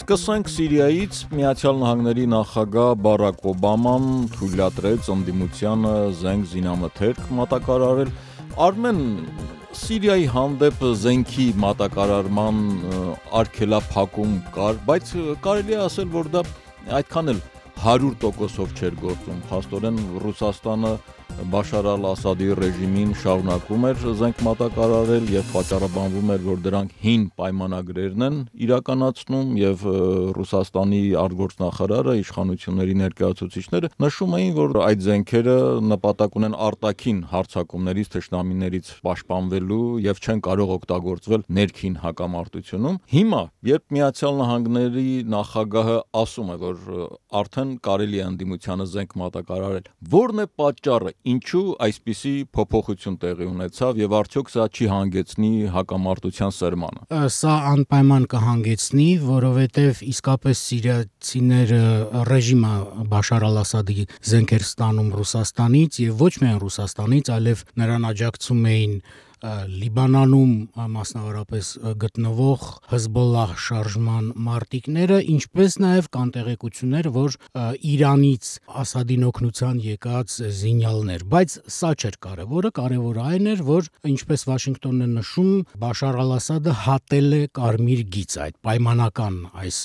Սկսենք Սիրիայից, Միացյալ Նահանգների նախագահ Բարակ Օբաման թույլատրեց ընդդիմությանը զենք զինամթերք մատակարարել։ Արմեն, Սիրիայի հանդեպ զենքի մատակարարման արգելափակում կար, բայց կարելի է ասել, որ դա այդքան էլ 100%-ով չէր գործում։ Փաստորեն Ռուսաստանը Բաշար al-Ասադի ռեժիմին շարունակում էր զենք մատակարարել եւ պատճառաբանվում էր, որ դրանք հին պայմանագրերն են իրականացնում եւ Ռուսաստանի արտգործնախարարը, իշխանությունների ներկայացուցիչները նշում էին, որ այդ զենքերը նպատակ ունեն արտաքին հարձակումներից, թշնամիներից պաշտպանվելու եւ չեն կարող օգտագործվել ներքին հակամարտությունում։ Հիմա, երբ Միացյալ Նահանգների նախագահը ասում է, որ արդեն կարելի է ընդդիմությանը զենք մատակարարել, որն է պատճառը, ինչու այսպիսի փոփոխություն տեղի ունեցավ եւ արդյոք սա չի հանգեցնի հակամարտության սրմանը։ Սա անպայման կհանգեցնի, որովհետեւ իսկապես սիրիացիները ռեժիմը Բաշար al-Ասադի զենքեր ստանում Ռուսաստանից եւ ոչ միայն Ռուսաստանից, այլև նրան աջակցում էին Լիբանանում մասնավորապես գտնվող Հեզբոլլահ շարժման մարտիկները, ինչպես նաև կան տեղեկություններ, որ Իրանից Ասադին օգնության եկած զինյալներ, բայց սա չէր կարևորը, կարևորը այն էր, որ ինչպես Վաշինգտոնն է նշում, Բաշար al-Ասադը հատել է կարմիր գիծ, այդ պայմանական այս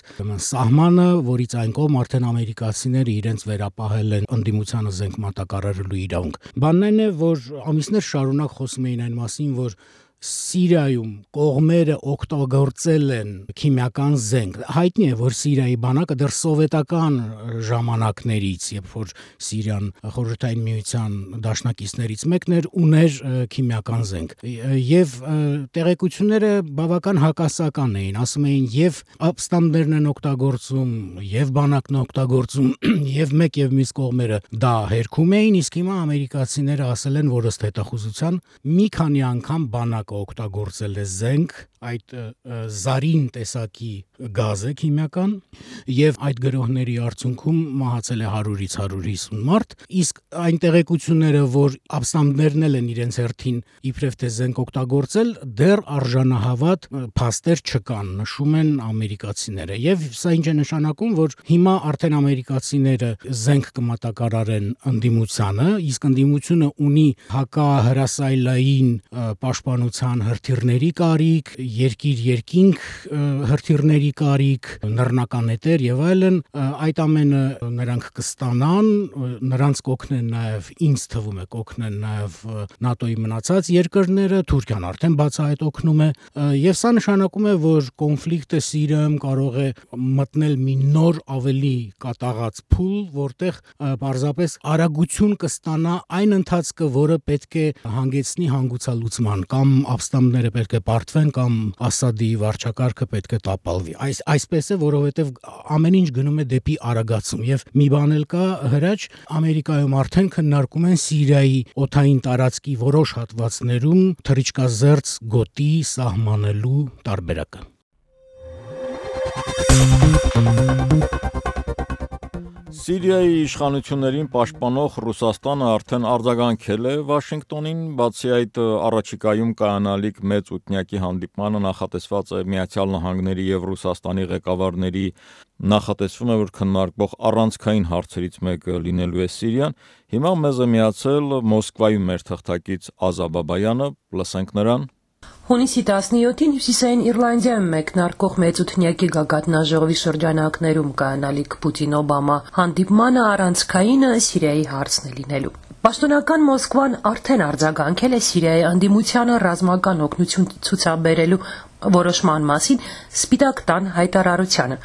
սահմանը, որից այն կողմ արդեն ամերիկացիները իրենց վերապահել են ընդդիմությանը զենք մատակարարելու իրավունք։ Բանն այն է, որ ամիսներ շարունակ խոսում էին այն մասին, որ Սիրիայում կողմերը օգտագործել են քիմիական զենք։ Հայտնի է, որ Սիրիայի բանակը դեռ սովետական ժամանակներից, երբ որ Սիրիան խորհրդային միության դաշնակիցներից մեկն էր, ուներ քիմիական զենք։ Եվ տեղեկությունները բավական հակասական էին, ասում էին եւ ապստամբներն են օգտագործում, եւ բանակն է օգտագործում, եւ մեկ եւ մյուս կողմերը դա հերքում էին, իսկ հիմա ամերիկացիները ասել են, որ ըստ հետախուզության մի քանի անգամ բանակ օգտագործել է զենք, այդ զարին տեսակի գազ է քիմիական եւ այդ գրոհների արդյունքում մահացել է 100-ից 150 մարդ, իսկ այն տեղեկությունները, որ ապստամբներն են իրենց հերթին իբրև թե զենք օգտագործել, դեռ արժանահավատ փաստեր չկան, նշում են ամերիկացիները։ Եվ սա ինչ է նշանակում, որ հիմա արդեն ամերիկացիները զենք կմատակարարեն ընդդիմությանը, իսկ ընդդիմությունը ունի հակահրասայլային պաշտպանության հրթիռների կարիք, երկիր-երկինք հրթիռների կարիք, նռնականետեր եւ այլն, այդ ամենը նրանք կստանան, նրանց կօգնեն նաեւ, ինձ թվում է, կօգնեն նաեւ ՆԱՏՕ-ի մնացած երկրները, Թուրքիան արդեն բացահայտ օգնում է, եւ սա նշանակում է, որ կոնֆլիկտը Սիրիայում կարող է մտնել մի նոր ավելի կատաղած փուլ, որտեղ պարզապես արագություն կստանա այն ընթացքը, որը պետք է հանգեցնի հանգուցալուծման, կամ ապստամբները պետք է պարտվեն, կամ Ասադի վարչակարգը պետք է տապալվի։ Այսպես է, որովհետև ամեն ինչ գնում է դեպի արագացում եւ մի բան էլ կա, հրաչ, Ամերիկայում արդեն քննարկում են Սիրիայի օդային տարածքի որոշ հատվածներում թռիչքազերծ գոտի սահմանելու տարբերակը։ Սիրիայի իշխանություններին պաշտպանող Ռուսաստանը արդեն արձագանքել է Վաշինգտոնին, բացի այդ առաջիկայում կայանալիք մեծ ութնյակի հանդիպմանը նախատեսված է Միացյալ Նահանգների եւ Ռուսաստանի ղեկավարների, նախատեսվում է, որ քննարկվող առանցքային հարցերից մեկը լինելու է Սիրիան։ Հիմա մեզ է միացել Մոսկվայում մեր թղթակից Ազա Բաբայանը, լսենք նրան։ Հունիսի 17-ին Հյուսիսային Իռլանդիայում մեկնարկող մեծութնյակի գագաթնաժողովի շրջանակներում կայանալիք Պուտին-Օբամա հանդիպմանը առանցքայինը Սիրիայի հարցն է լինելու։ Պաշտոնական Մոսկվան արդեն արձագանքել է Սիրիայի ընդդիմությանը ռազմական օգնություն ցուցաբերելու որոշման մասին Սպիտակ տան հայտարարությանը։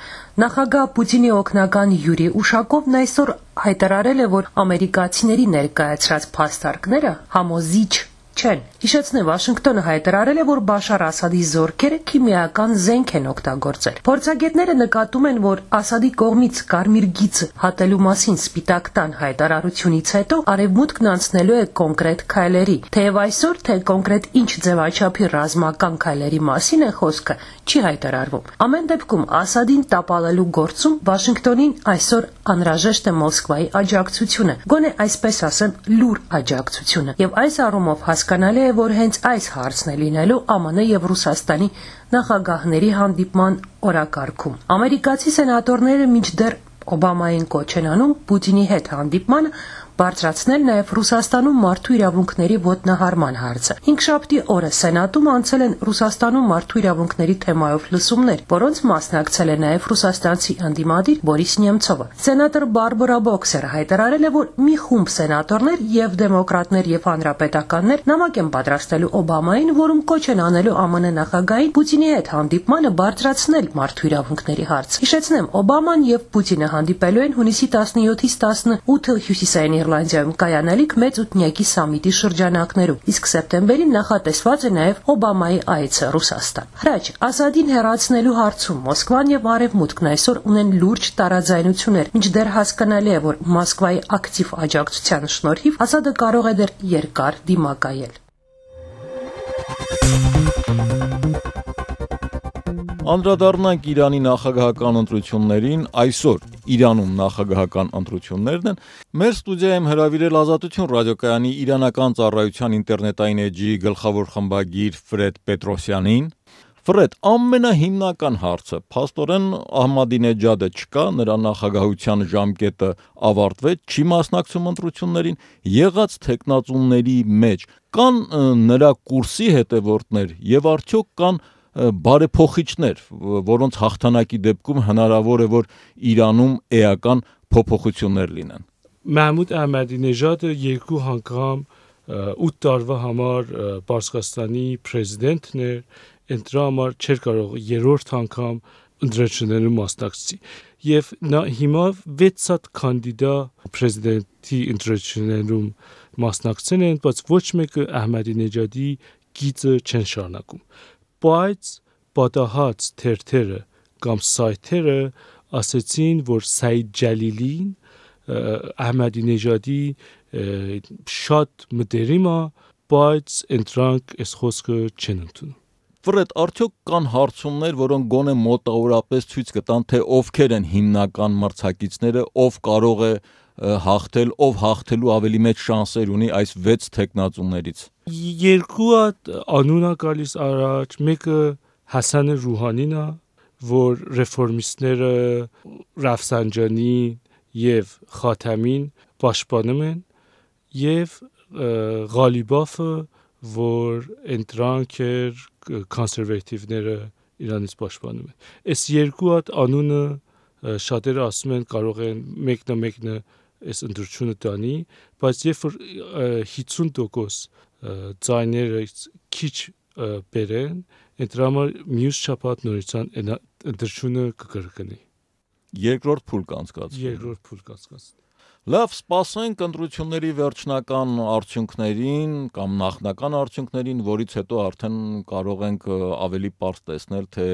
Նախագահ Պուտինի օգնական Յուրի Ուշակովն այսօր հայտարարել է, որ ամերիկացիների ներկայացրած փաստարկները համոզիչ չեն։ Հիշեցնեմ, Վաշինգտոնը հայտարարել է, որ Բաշար Ասադի զորքերը քիմիական զենք են օգտագործել։ Փորձագետները նկատում են, որ Ասադի կողմից կարմիր գիծը հատելու մասին Սպիտակ տան հայտարարությունից հետո արևմուտքն անցնելու է կոնկրետ քայլերի։ Թեև այսօր թե կոնկրետ ինչ ձևաչափի ռազմական քայլերի մասին է խոսքը, չի հայտարարվում։ Ամեն դեպքում Ասադին տապալելու գործում Վաշինգտոնին այսօր անհրաժեշտ է Մոսկվայի աջակցությունը, գոնե այսպես ասեմ, լուր աջակցությունը։ Եվ այս առումով հասկանալի է, որ հենց այս հարցն է լինելու ԱՄՆ եւ Ռուսաստանի նախագահների հանդիպման օրակարգում։ Ամերիկացի սենատորները մինչդեռ Օբամային կոչ են անում Պուտինի հետ հանդիպմանը բարձրացնել նաև Ռուսաստանում մարդու իրավունքների ոտնահարման հարցը։ Հինգշաբթի օրը Սենատում անցել են Ռուսաստանում մարդու իրավունքների թեմայով լսումներ, որոնց մասնակցել է նաև ռուսաստանցի ընդդիմադիր Բորիս Նեմցովը։ Սենատոր Բարբարա Բոքսերը հայտարարել է, որ մի խումբ սենատորներ եւ դեմոկրատներ եւ հանրապետականներ նամակ են պատրաստելու Օբամային, որում կոչ են անելու ԱՄՆ նախագահին Պուտինի հետ հանդիպմանը բարձրացնել մարդու իրավունքների հարցը։ Հիշեցնեմ, Օբաման եւ Պուտինը հանդիպելու են հունիսի 17-ից 18 հյուսիսային Իռլանդիայում կայանալիք մեծ ութնյակի սամիտի շրջանակներում, իսկ սեպտեմբերին նախատեսված է նաև Օբամայի այցը Ռուսաստան։ Հրաչ, Ասադին հեռացնելու հարցում Մոսկվան եւ Արևմուտքն այսօր ունեն լուրջ տարաձայնություններ, մինչդեռ հասկանալի է, որ Մոսկվայի ակտիվ աջակցության շնորհիվ Ասադը կարող է դեռ երկար դիմակայել։ Անդրադառնանք Իրանի նախագահական ընտրություններին, այսօր Իրանում նախագահական ընտրություններն են։ Մեր ստուդիայում հրավիրել Ազատություն ռադիոկայանի իրանական ծառայության ինտերնետային էջի գլխավոր խմբագիր Ֆրեդ Պետրոսյանին։ Ֆրեդ, ամենահիմնական հարցը, փաստորեն Ահմադինեջադը չկա, նրա նախագահության ժամկետը ավարտվեց, չի մասնակցում ընտրություններին, եղած թեկնածուների մեջ կան նրա կուրսի հետևորդներ եւ արդյոք կան բարեփոխիչներ, որոնց հաղթանակի դեպքում հնարավոր է, որ Իրանում էական փոփոխություններ լինեն։ Մահմուդ Ահմադինեժադը երկու անգամ 8 տարվա համար Պարսկաստանի պրեզիդենտն էր, ընտրա համար չէր կարող երրորդ անգամ ընտրություններում մասնակցի։ Եվ նա հիմա 6 հատ կանդիդա պրեզիդենտի ընտրություններում մասնակցել են, բայց ոչ մեկը Ահմադինեջադի գիծը չեն շարունակում։ Բայց պատահած թերթերը կամ սայթերը ասացին, որ Սայիդ Ջալիլին Ահմադինեջադի շատ մտերիմ է, բայց ընտրանք այս խոսքը չեն ընդունում։ Ֆրեդ, արդյոք կան հարցումներ, որոնք գոնե մոտավորապես ցույց կտան, թե ովքեր են հիմնական մրցակիցները, ով կարող է հաղթել, ով հաղթելու ավելի մեծ շանսեր ունի այս 6 թեկնածուներից։ Երկու հատ անուն է գալիս առաջ, մեկը Հասան Ռուհանին է, որ ռեֆորմիստները Ռաֆսանջանին եւ Խաթամին պաշտպանում են, եւ Ղալիբաֆը, որ ընտրանք էր կոնսերվատիվները Իրանից պաշտպանում են։ Այս երկու հատ անունը շատերը ասում են կարող են մեկնը այս ընտրությունը տանի, բայց երբ որ 50% ձայները քիչ բերեն, դրա համար մյուս շաբաթ նորից ընտրությունը կկրկնի։ Երկրորդ փուլ կանցկացվի։ Լավ, սպասենք ընտրությունների վերջնական արդյունքներին կամ նախնական արդյունքներին, որից հետո արդեն կարող ենք ավելի պարզ տեսնել, թե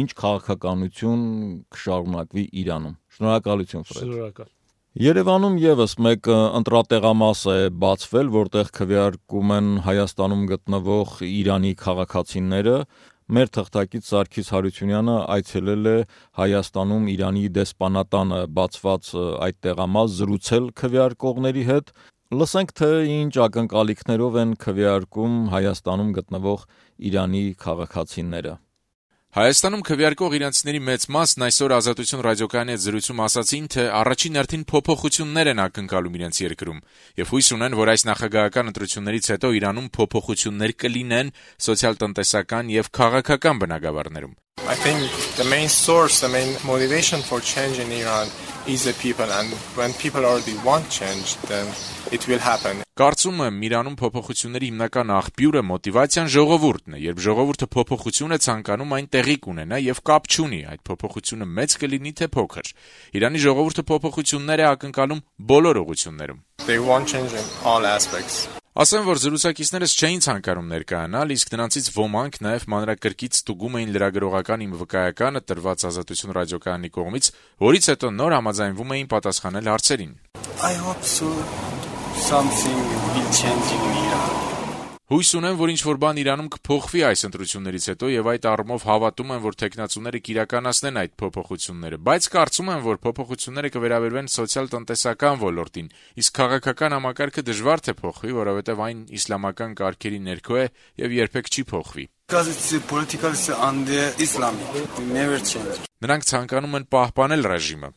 ինչ քաղաքականություն կշարունակվի Իրանում։ Շնորհակալություն, Ֆրեդ։ Շնորհակալ։ Երևանում եւս մեկ ընտրատեղամաս է բացվել, որտեղ քվեարկում են Հայաստանում գտնվող Իրանի քաղաքացիները։ Մեր թղթակից Սարգիս Հարությունյանը այցելել է Հայաստանում Իրանի դեսպանատանը բացված այդ տեղամաս, զրուցել քվեարկողների հետ։ Լսենք, թե ինչ ակնկալիքներով են քվեարկում Հայաստանում գտնվող Իրանի քաղաքացիները։ Հայաստանում քվեարկող իրանցիների մեծ մասն այսօր Ազատություն ռադիոկայանի հետ զրույցում ասացին, թե առաջին հերթին փոփոխություններ են ակնկալում իրենց երկրում եւ հույս ունեն, որ այս նախագահական ընտրություններից հետո Իրանում փոփոխություններ կլինեն սոցիալ-տնտեսական եւ քաղաքական բնագավառներում։ I think the main source, the main motivation for change in Iran is the people, and when people already want change, then it will happen. Կարծում եմ, Իրանում փոփոխությունների հիմնական աղբյուրը մոտիվացիան ժողովուրդն է, երբ ժողովուրդը փոփոխություն է ցանկանում, այն տեղի կունենա եւ կապ չունի այդ փոփոխությունը մեծ կլինի թե փոքր։ Իրանի ժողովուրդը փոփոխություններ է ակնկալում բոլոր ուղղություններում։ They want change in all aspects. Ասեմ, որ զրուցակիցներս չէին ցանկանում ներկայանալ, իսկ նրանցից ոմանք նաև մանրակրկիտ ստուգում էին լրագրողական իմ վկայականը տրված Ազատություն ռադիոկայանի կողմից, որից հետո նոր համաձայնվում էին պատասխանել հարցերին։ I hope so something will change in Iran. Հույս ունեմ, որ ինչ-որ բան Իրանում կփոխվի այս ընտրություններից հետո եւ այդ առումով հավատում եմ, որ տեխնացուները կիրականացնեն այդ փոփոխությունները, բայց կարծում եմ, որ փոփոխությունները կվերաբերվեն սոցիալ-տնտեսական ոլորտին, իսկ քաղաքական համակարգը դժվար թե փոխվի, որովհետեւ այն իսլամական կարգերի ներքո է եւ երբեք չի փոխվի։ Նրանք ցանկանում են պահպանել ռեժիմը։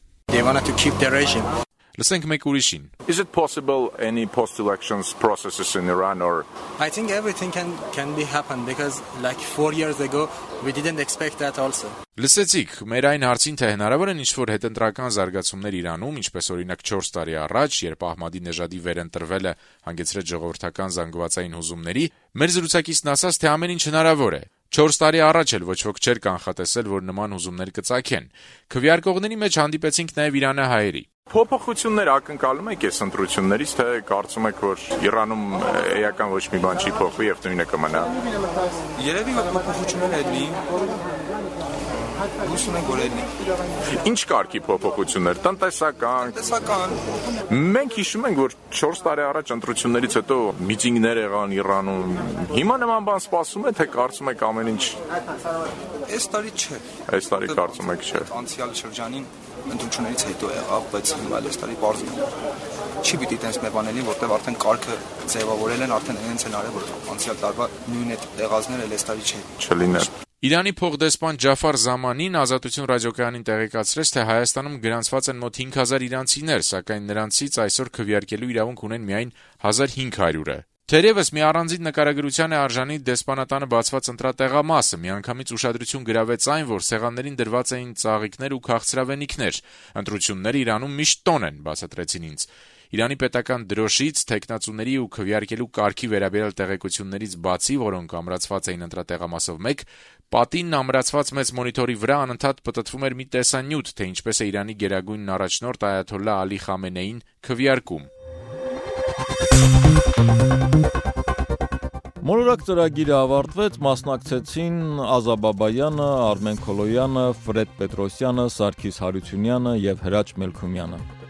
Լսենք մեկ ուրիշին։ Is it possible any post-elections processes in Iran or I think everything can be happen because like 4 years ago we didn't expect that also. Լսեցիք, մեր այն հարցին թե հնարավոր են ինչ-որ հետընտրական զարգացումներ Իրանում, ինչպես օրինակ 4 տարի առաջ, երբ Ահմադի-Նեժադի վերընտրվելը հանգեցրեց ժողովրդական զանգվածային հուզումների, մեր զրուցակիցն ասաց, թե ամեն ինչ հնարավոր է։ 4 տարի առաջ էլ ոչ ոք չէր կանխատեսել, որ նման հուզումներ կծագեն։ Քվեարկողների մեջ հանդիպեցինք նաև իրանահայերի։ փոփոխություններ ակնկալում եք այս ընտրություններից, թե կարծում եք, որ Իրանում էական ոչ մի բան չի փոխվի եւ նույնը կմնա։ Երևի որ փոփոխություններ ելնի։ Ինչ կարգի փոփոխություններ, տնտեսական։ Մենք հիշում ենք, որ 4 տարի առաջ ընտրություններից հետո միտինգներ եղան Իրանում։ Հիմա նման բան սպասում է, թե կարծում եք ամեն ինչ։ Այս տարի չէ։ Այս տարի կարծում եք չէ։ Անցյալ շրջանին ընտրություններից հետո եղավ, բայց հիմա այս տարի բարձր է։ Չի պիտի տես մեբանելի, որտեղ արդեն կարգը ձևավորել են, արդեն այնց են արել, որ անցյալ տարվա նույն այդ եղածները այս տարի չէ։ Չլիներ։ Իրանի փոխդեսպան Ջաֆար Զամանին Ազատություն ռադիոկայանին տեղեկացրեց, թե Հայաստանում գրանցված են մոտ 5000 իրանցիներ, սակայն նրանցից այսօր քվեարկելու իրավունք ունեն միայն 1500-ը։ Թերևս մի առանձին նկարագրության է արժանի դեսպանատանը բացված ընտրատեղամասը, միանգամից ուշադրություն գրավեց այն, որ սեղաններին դրված էին ծաղիկներ ու քաղցրավենիքներ։ Ընտրությունները Իրանում միշտ տոն են, բացատրեցին ինձ։ Իրանի պետական դրոշից, տեխնացուների ու քվեարկելու կարգի վերաբերյալ տեղեկություններից բացի, որոնք ամրացված էին ընտրատեղամասով մեկ, պատինն ամրացված մեծ մոնիտորի վրա անընդհատ պտտվում էր մի տեսանյութ, թե ինչպես է Իրանի գերագույն առաջնորդ Այաթոլլա Ալի Խամենեին քվեարկում։ Մոլորակ ծրագիրը ավարտվեց, մասնակցեցին Ազա Բաբայանը, Արմեն Քոլոյանը, Ֆրեդ Պետրոսյանը, Սարգիս Հարությունյանը եւ Հրաչ Մելքումյանը։